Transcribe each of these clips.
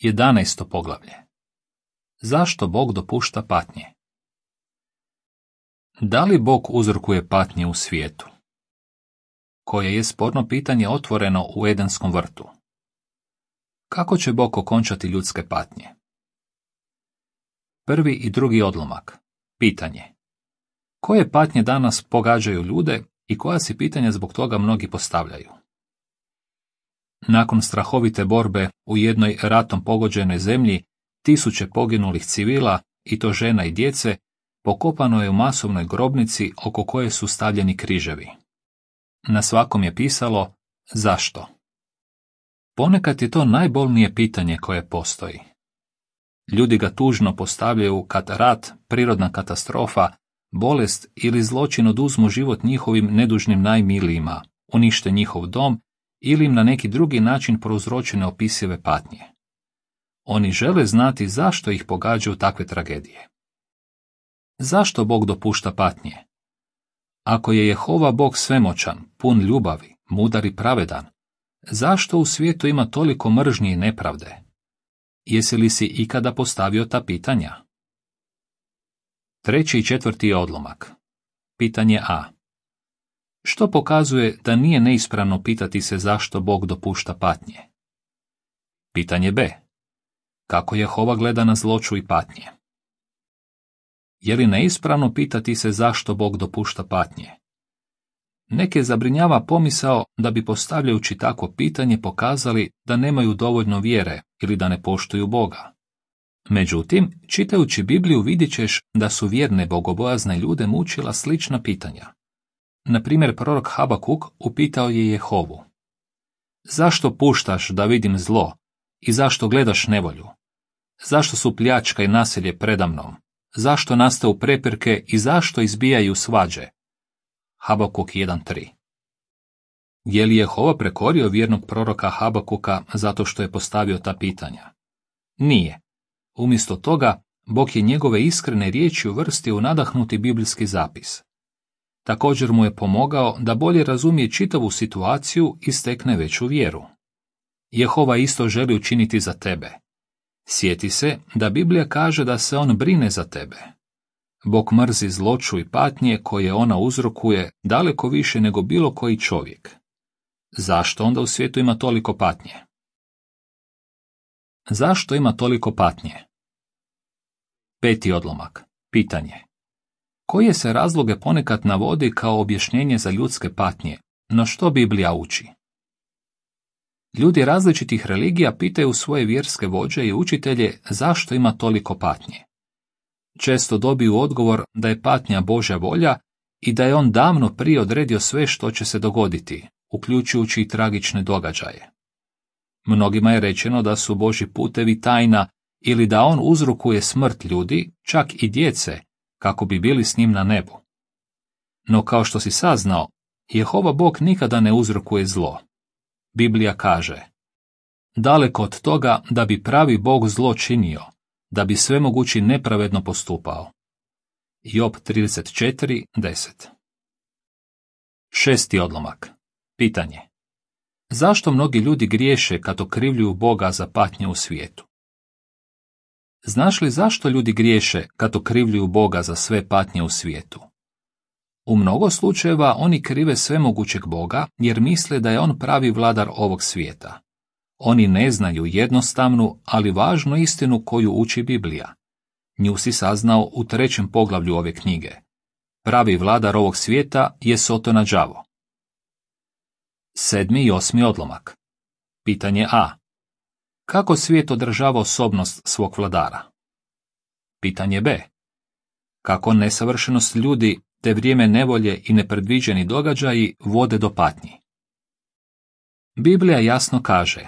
11. poglavlje. Zašto Bog dopušta patnje? Da li Bog uzrokuje patnje u svijetu? Koje je sporno pitanje otvoreno u Edenskom vrtu. Kako će Bog okončati ljudske patnje? Prvi i drugi odlomak. Pitanje. Koje patnje danas pogađaju ljude i koja si pitanja zbog toga mnogi postavljaju? Nakon strahovite borbe u jednoj ratom pogođenoj zemlji, tisuće poginulih civila, i to žena i djece, pokopano je u masovnoj grobnici oko koje su stavljeni križevi. Na svakom je pisalo zašto. Ponekad je to najbolnije pitanje koje postoji. Ljudi ga tužno postavljaju kad rat, prirodna katastrofa, bolest ili zločin oduzmu život njihovim nedužnim najmilijima, unište njihov dom ili im na neki drugi način prouzroče neopisive patnje. Oni žele znati zašto ih pogađaju takve tragedije. Zašto Bog dopušta patnje? Ako je Jehova Bog svemoćan, pun ljubavi, mudar i pravedan, zašto u svijetu ima toliko mržnje i nepravde? Jesi li si ikada postavio ta pitanja? Treći i četvrti odlomak. Pitanje A. Što pokazuje da nije neispravno pitati se zašto Bog dopušta patnje? Pitanje B. Kako Jehova gleda na zloču i patnje? Je li neispravno pitati se zašto Bog dopušta patnje? Neke zabrinjava pomisao da bi postavljajući takvo pitanje pokazali da nemaju dovoljno vjere ili da ne poštuju Boga. Međutim, čitajući Bibliju vidjet ćeš da su vjerne bogobojazne ljude mučila slična pitanja. Na primjer, prorok Habakuk upitao je Jehovu: zašto puštaš da vidim zlo i zašto gledaš nevolju? Zašto su pljačka i nasilje predamnom? Zašto nastaju prepirke i zašto izbijaju svađe? Habakuk 1.3. Je li Jehova prekorio vjernog proroka Habakuka zato što je postavio ta pitanja? Nije. Umjesto toga, Bog je njegove iskrene riječi uvrstio u nadahnuti biblijski zapis. Također mu je pomogao da bolje razumije čitavu situaciju i stekne veću vjeru. Jehova isto želi učiniti za tebe. Sjeti se da Biblija kaže da se on brine za tebe. Bog mrzi zloču i patnje koje ona uzrokuje daleko više nego bilo koji čovjek. Zašto onda u svijetu ima toliko patnje? Zašto ima toliko patnje? Peti odlomak. Pitanje. Koje se razloge ponekad navodi kao objašnjenje za ljudske patnje, no što Biblija uči? Ljudi različitih religija pitaju svoje vjerske vođe i učitelje zašto ima toliko patnje. Često dobiju odgovor da je patnja Božja volja i da je on davno prije odredio sve što će se dogoditi, uključujući i tragične događaje. Mnogima je rečeno da su Božji putevi tajna ili da on uzrokuje smrt ljudi, čak i djece, kako bi bili s njim na nebu. No kao što si saznao, Jehova Bog nikada ne uzrokuje zlo. Biblija kaže: daleko od toga da bi pravi Bog zlo činio, da bi svemogući nepravedno postupao. Job 34.10. Šesti odlomak. Pitanje. Zašto mnogi ljudi griješe kad okrivljuju Boga za patnje u svijetu? Znaš li zašto ljudi griješe kad okrivljuju Boga za sve patnje u svijetu? U mnogo slučajeva oni krive svemogućeg Boga jer misle da je on pravi vladar ovog svijeta. Oni ne znaju jednostavnu, ali važnu istinu koju uči Biblija. Nju si saznao u 3. poglavlju ove knjige. Pravi vladar ovog svijeta je Sotona đavo. 7. i 8. odlomak. Pitanje A. Kako svijet održava osobnost svog vladara? Pitanje B. Kako nesavršenost ljudi te vrijeme nevolje i nepredviđeni događaji vode do patnji? Biblija jasno kaže: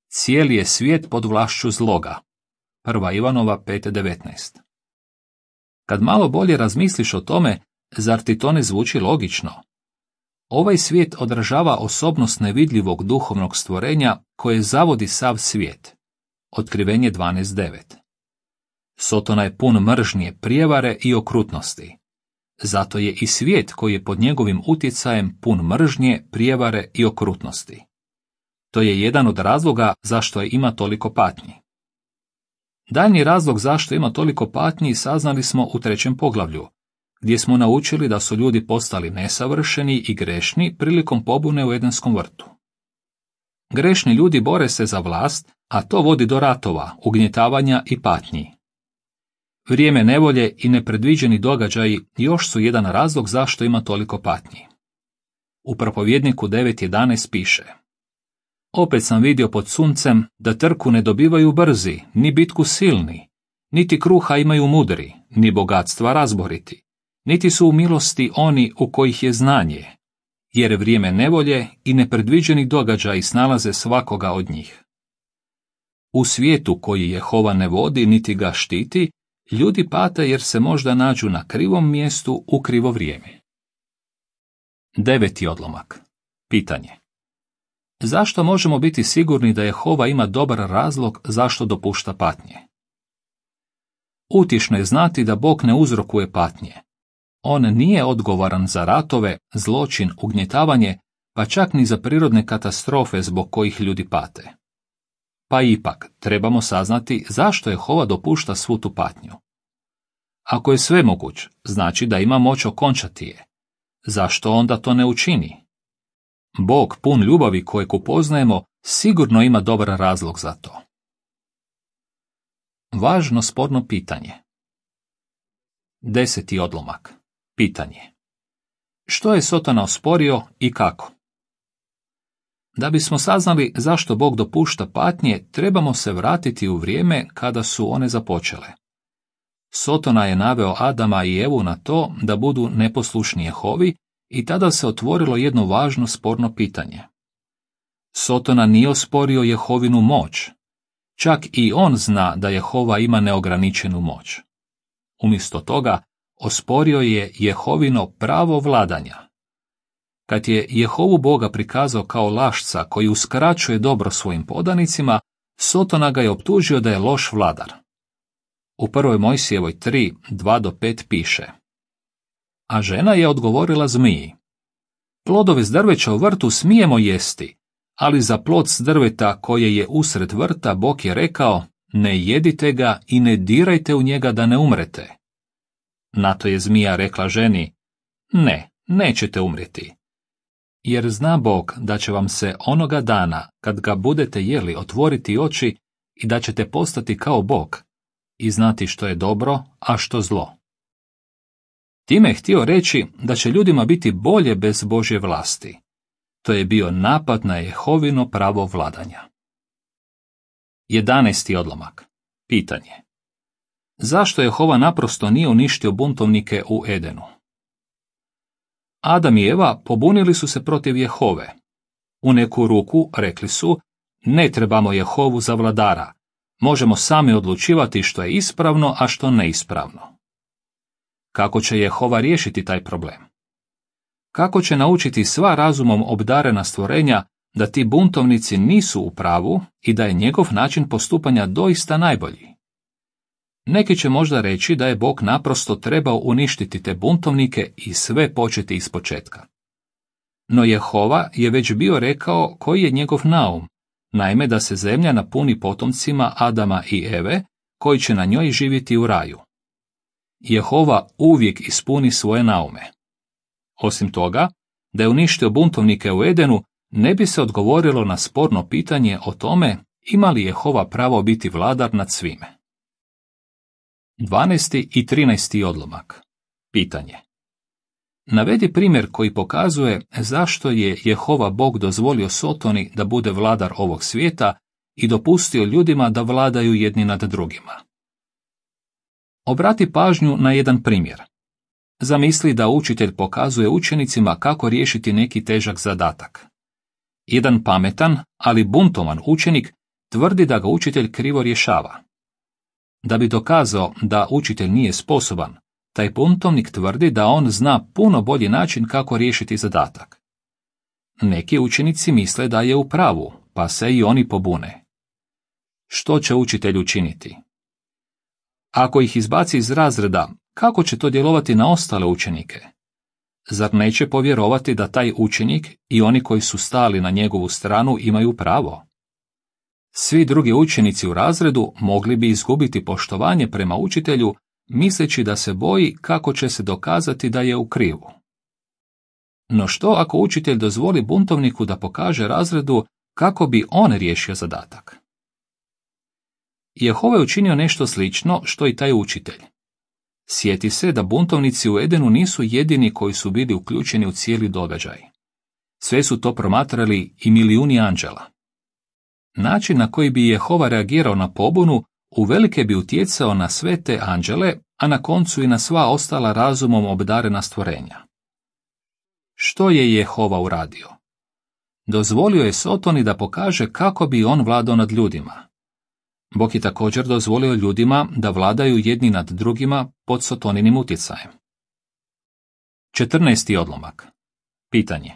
cijeli je svijet pod vlašću zloga. 1. Ivanova 5.19. Kad malo bolje razmisliš o tome, zar ti to ne zvuči logično? Ovaj svijet odražava osobnost nevidljivog duhovnog stvorenja koje zavodi sav svijet. Otkrivenje 12.9. Sotona je pun mržnje, prijevare i okrutnosti. Zato je i svijet koji je pod njegovim utjecajem pun mržnje, prijevare i okrutnosti. To je jedan od razloga zašto ima toliko patnji. Daljnji razlog zašto ima toliko patnji saznali smo u 3. poglavlju, gdje smo naučili da su ljudi postali nesavršeni i grešni prilikom pobune u Edenskom vrtu. Grešni ljudi bore se za vlast, a to vodi do ratova, ugnjetavanja i patnji. Vrijeme nevolje i nepredviđeni događaji još su jedan razlog zašto ima toliko patnji. U Propovjedniku 9.11 piše: Opet sam vidio pod suncem da trku ne dobivaju brzi, ni bitku silni, niti kruha imaju mudri, ni bogatstva razboriti, niti su u milosti oni u kojih je znanje, jer vrijeme nevolje i nepredviđeni događaji snalaze svakoga od njih. U svijetu koji Jehova ne vodi niti ga štiti, ljudi pate jer se možda nađu na krivom mjestu u krivo vrijeme. 9. odlomak. Pitanje. Zašto možemo biti sigurni da Jehova ima dobar razlog zašto dopušta patnje? Utješno je znati da Bog ne uzrokuje patnje. On nije odgovoran za ratove, zločin, ugnjetavanje, pa čak ni za prirodne katastrofe zbog kojih ljudi pate. Pa ipak, trebamo saznati zašto Jehova dopušta svu tu patnju. Ako je svemoguć, znači da ima moć okončati je. Zašto onda to ne učini? Bog, pun ljubavi kojeg upoznajemo, sigurno ima dobar razlog za to. Važno sporno pitanje. 10. odlomak. Pitanje. Što je Sotona osporio i kako? Da bismo saznali zašto Bog dopušta patnje, trebamo se vratiti u vrijeme kada su one započele. Sotona je naveo Adama i Evu na to da budu neposlušni Jehovi i tada se otvorilo jedno važno sporno pitanje. Sotona nije osporio Jehovinu moć. Čak i on zna da Jehova ima neograničenu moć. Umjesto toga, osporio je Jehovino pravo vladanja. Kad je Jehovu Boga prikazao kao lašca koji uskraćuje dobro svojim podanicima, Sotona ga je optužio da je loš vladar. U 1. Mojsijevoj 3, 2-5 piše: A žena je odgovorila zmiji: Plodove s drveća u vrtu smijemo jesti, ali za plod s drveta koje je usred vrta Bog je rekao: Ne jedite ga i ne dirajte u njega da ne umrete. Na to je zmija rekla ženi: Ne, nećete umrijeti. Jer zna Bog da će vam se onoga dana, kad ga budete jeli, otvoriti oči i da ćete postati kao Bog i znati što je dobro, a što zlo. Time je htio reći da će ljudima biti bolje bez Božje vlasti. To je bio napad na Jehovino pravo vladanja. 11. odlomak. Pitanje. Zašto Jehova naprosto nije uništio buntovnike u Edenu? Adam i Eva pobunili su se protiv Jehove. U neku ruku rekli su: Ne trebamo Jehovu za vladara. Možemo sami odlučivati što je ispravno, a što neispravno. Kako će Jehova riješiti taj problem? Kako će naučiti sva razumom obdarena stvorenja da ti buntovnici nisu u pravu i da je njegov način postupanja doista najbolji? Neki će možda reći da je Bog naprosto trebao uništiti te buntovnike i sve početi ispočetka. No Jehova je već bio rekao koji je njegov naum, naime da se zemlja napuni potomcima Adama i Eve, koji će na njoj živjeti u raju. Jehova uvijek ispuni svoje naume. Osim toga, da je uništio buntovnike u Edenu, ne bi se odgovorilo na sporno pitanje o tome ima li Jehova pravo biti vladar nad svime. 12. i 13. odlomak. Pitanje. Navedi primjer koji pokazuje zašto je Jehova Bog dozvolio Sotoni da bude vladar ovog svijeta i dopustio ljudima da vladaju jedni nad drugima. Obrati pažnju na jedan primjer. Zamisli da učitelj pokazuje učenicima kako riješiti neki težak zadatak. Jedan pametan, ali buntovan učenik tvrdi da ga učitelj krivo rješava. Da bi dokazao da učitelj nije sposoban, taj buntovnik tvrdi da on zna puno bolji način kako riješiti zadatak. Neki učenici misle da je u pravu, pa se i oni pobune. Što će učitelj učiniti? Ako ih izbaci iz razreda, kako će to djelovati na ostale učenike? Zar neće povjerovati da taj učenik i oni koji su stali na njegovu stranu imaju pravo? Svi drugi učenici u razredu mogli bi izgubiti poštovanje prema učitelju, misleći da se boji kako će se dokazati da je u krivu. No što ako učitelj dozvoli buntovniku da pokaže razredu kako bi on riješio zadatak? Jehova je učinio nešto slično što i taj učitelj. Sjeti se da buntovnici u Edenu nisu jedini koji su bili uključeni u cijeli događaj. Sve su to promatrali i milijuni anđela. Način na koji bi Jehova reagirao na pobunu uvelike bi utjecao na sve te anđele, a na koncu i na sva ostala razumom obdarena stvorenja. Što je Jehova uradio? Dozvolio je Sotoni da pokaže kako bi on vladao nad ljudima. Bog je također dozvolio ljudima da vladaju jedni nad drugima pod Sotoninim utjecajem. 14. odlomak. Pitanje.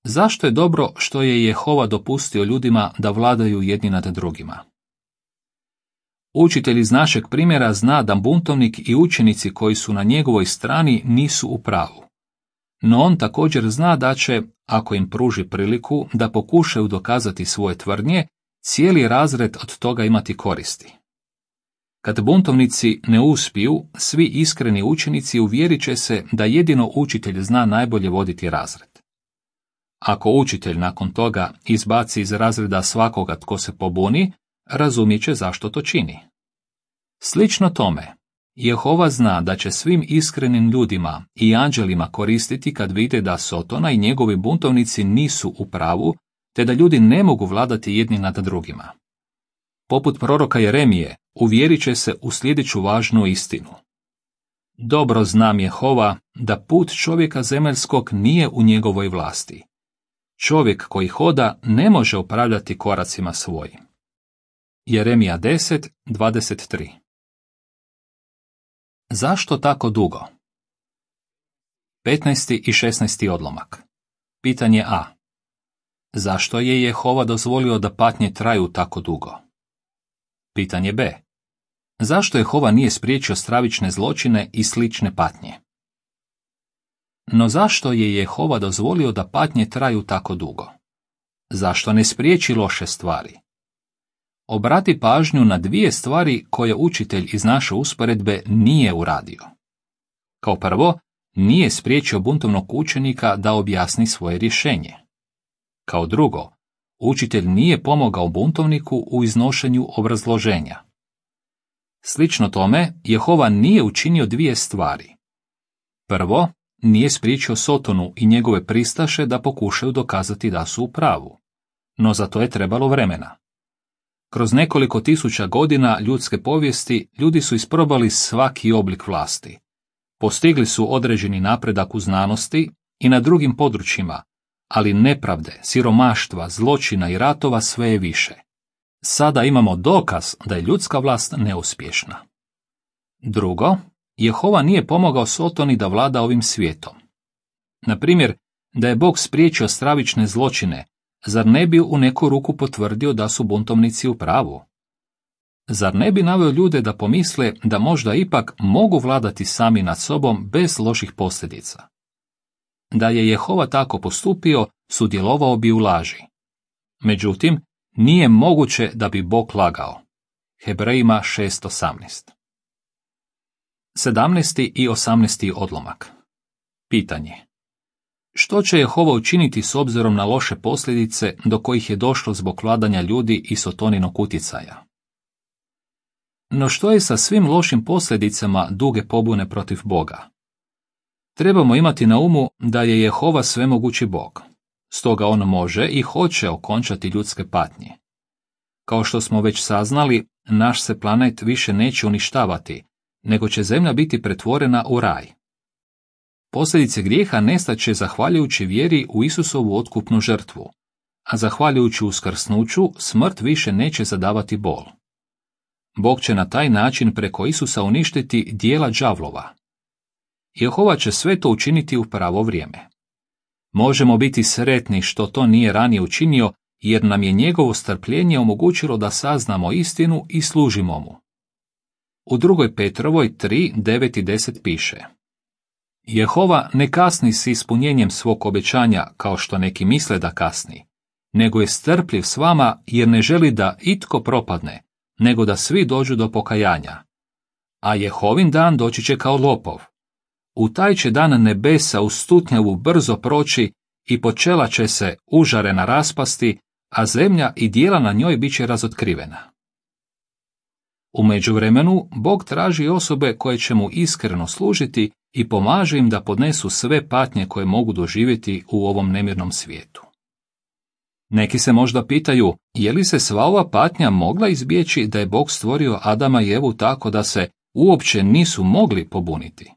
Zašto je dobro što je Jehova dopustio ljudima da vladaju jedni nad drugima? Učitelj iz našeg primjera zna da buntovnik i učenici koji su na njegovoj strani nisu u pravu. No on također zna da će, ako im pruži priliku da pokušaju dokazati svoje tvrdnje, cijeli razred od toga imati koristi. Kad buntovnici ne uspiju, svi iskreni učenici uvjerit će se da jedino učitelj zna najbolje voditi razred. Ako učitelj nakon toga izbaci iz razreda svakoga tko se pobuni, razumjet će zašto to čini. Slično tome, Jehova zna da će svim iskrenim ljudima i anđelima koristiti kad vide da Sotona i njegovi buntovnici nisu u pravu, te da ljudi ne mogu vladati jedni nad drugima. Poput proroka Jeremije, uvjerit će se u sljedeću važnu istinu. Dobro znam Jehova da put čovjeka zemaljskog nije u njegovoj vlasti. Čovjek koji hoda ne može upravljati koracima svojim. Jeremija 10:23. Zašto tako dugo? 15. i 16. odlomak. Pitanje A. Zašto je Jehova dozvolio da patnje traju tako dugo? Pitanje B. Zašto Jehova nije spriječio stravične zločine i slične patnje? No zašto je Jehova dozvolio da patnje traju tako dugo? Zašto ne spriječi loše stvari? Obrati pažnju na dvije stvari koje učitelj iz naše usporedbe nije uradio. Kao prvo, nije spriječio buntovnog učenika da objasni svoje rješenje. Kao drugo, učitelj nije pomogao buntovniku u iznošenju obrazloženja. Slično tome, Jehova nije učinio dvije stvari. Prvo, nije spriječio Sotonu i njegove pristaše da pokušaju dokazati da su u pravu. No za to je trebalo vremena. Kroz nekoliko tisuća godina ljudske povijesti ljudi su isprobali svaki oblik vlasti. Postigli su određeni napredak u znanosti i na drugim područjima, ali nepravde, siromaštva, zločina i ratova sve je više. Sada imamo dokaz da je ljudska vlast neuspješna. Drugo, Jehova nije pomogao Sotoni da vlada ovim svijetom. Na primjer, da je Bog spriječio stravične zločine, zar ne bi u neku ruku potvrdio da su buntovnici u pravu? Zar ne bi naveo ljude da pomisle da možda ipak mogu vladati sami nad sobom bez loših posljedica? Da je Jehova tako postupio, sudjelovao bi u laži. Međutim, nije moguće da bi Bog lagao. Hebrejima 6:18. 17. i 18. odlomak. Pitanje. Što će Jehova učiniti s obzirom na loše posljedice do kojih je došlo zbog vladanja ljudi i Sotoninog utjecaja? No što je sa svim lošim posljedicama duge pobune protiv Boga? Trebamo imati na umu da je Jehova svemogući Bog, stoga on može i hoće okončati ljudske patnje. Kao što smo već saznali, naš se planet više neće uništavati, nego će zemlja biti pretvorena u raj. Posljedice grijeha nestaće zahvaljujući vjeri u Isusovu otkupnu žrtvu, a zahvaljujući uskrsnuću smrt više neće zadavati bol. Bog će na taj način preko Isusa uništiti djela đavlova. Jehova će sve to učiniti u pravo vrijeme. Možemo biti sretni što to nije ranije učinio, jer nam je njegovo strpljenje omogućilo da saznamo istinu i služimo mu. U 2. Petrovoj 3, 9 i 10 piše: Jehova ne kasni s ispunjenjem svog obećanja kao što neki misle da kasni, nego je strpljiv s vama jer ne želi da itko propadne, nego da svi dođu do pokajanja. A Jehovin dan doći će kao lopov. U taj će dan nebesa u stutnjavu brzo proći i počela će se užarena raspasti, a zemlja i dijela na njoj bit će razotkrivena. U međuvremenu Bog traži osobe koje će mu iskreno služiti i pomaže im da podnesu sve patnje koje mogu doživjeti u ovom nemirnom svijetu. Neki se možda pitaju, je li se sva ova patnja mogla izbjeći da je Bog stvorio Adama i Evu tako da se uopće nisu mogli pobuniti?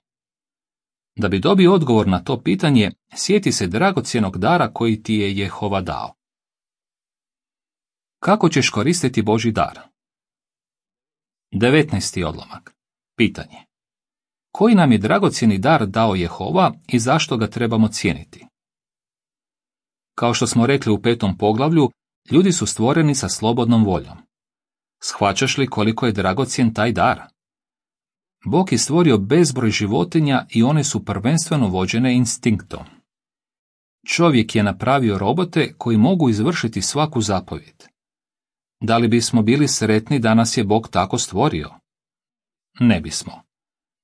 Da bi dobio odgovor na to pitanje, sjeti se dragocjenog dara koji ti je Jehova dao. Kako ćeš koristiti Božji dar? 19. odlomak. Pitanje. Koji nam je dragocjeni dar dao Jehova i zašto ga trebamo cijeniti? Kao što smo rekli u 5. poglavlju, ljudi su stvoreni sa slobodnom voljom. Shvaćaš li koliko je dragocjen taj dar? Bog je stvorio bezbroj životinja i one su prvenstveno vođene instinktom. Čovjek je napravio robote koji mogu izvršiti svaku zapovjed. Da li bismo bili sretni da nas je Bog tako stvorio? Ne bismo.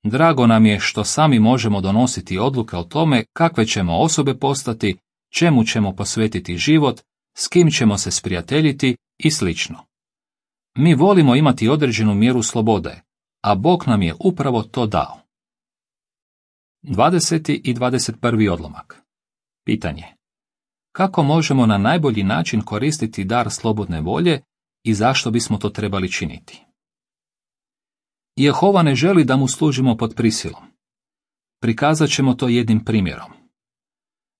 Drago nam je što sami možemo donositi odluke o tome kakve ćemo osobe postati, čemu ćemo posvetiti život, s kim ćemo se sprijateljiti i slično. Mi volimo imati određenu mjeru slobode, a Bog nam je upravo to dao. 20. i 21. odlomak. Pitanje. Kako možemo na najbolji način koristiti dar slobodne volje i zašto bismo to trebali činiti? Jehova ne želi da mu služimo pod prisilom. Prikazat ćemo to jednim primjerom.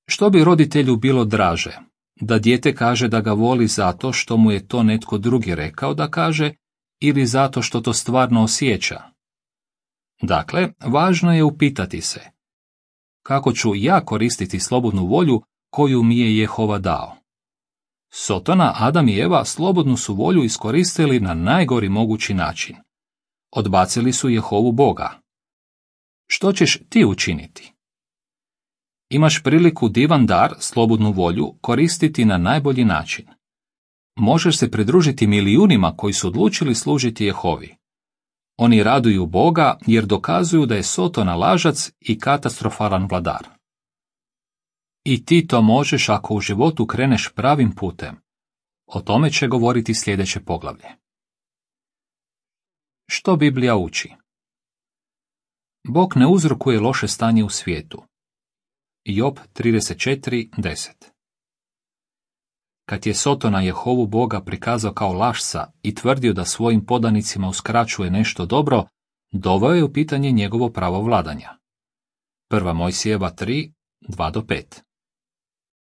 Što bi roditelju bilo draže? Da dijete kaže da ga voli zato što mu je to netko drugi rekao da kaže ili zato što to stvarno osjeća? Dakle, važno je upitati se, kako ću ja koristiti slobodnu volju koju mi je Jehova dao? Sotona, Adam i Eva slobodnu su volju iskoristili na najgori mogući način. Odbacili su Jehovu Boga. Što ćeš ti učiniti? Imaš priliku divan dar, slobodnu volju, koristiti na najbolji način. Možeš se pridružiti milijunima koji su odlučili služiti Jehovi. Oni raduju Boga jer dokazuju da je Sotona lažac i katastrofalan vladar. I ti to možeš ako u životu kreneš pravim putem. O tome će govoriti sljedeće poglavlje. Što Biblija uči? Bog ne uzrokuje loše stanje u svijetu. Job 34:10. Kad je Sotona Jehovu Boga prikazao kao lašca i tvrdio da svojim podanicima uskraćuje nešto dobro, doveo je u pitanje njegovo pravo vladanja. 1. Mojsijeva 3:2-5.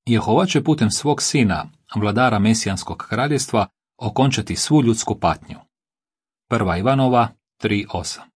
Jehova će putem svog sina, vladara Mesijanskog kraljevstva, okončati svu ljudsku patnju. 1. Ivanova 3:8.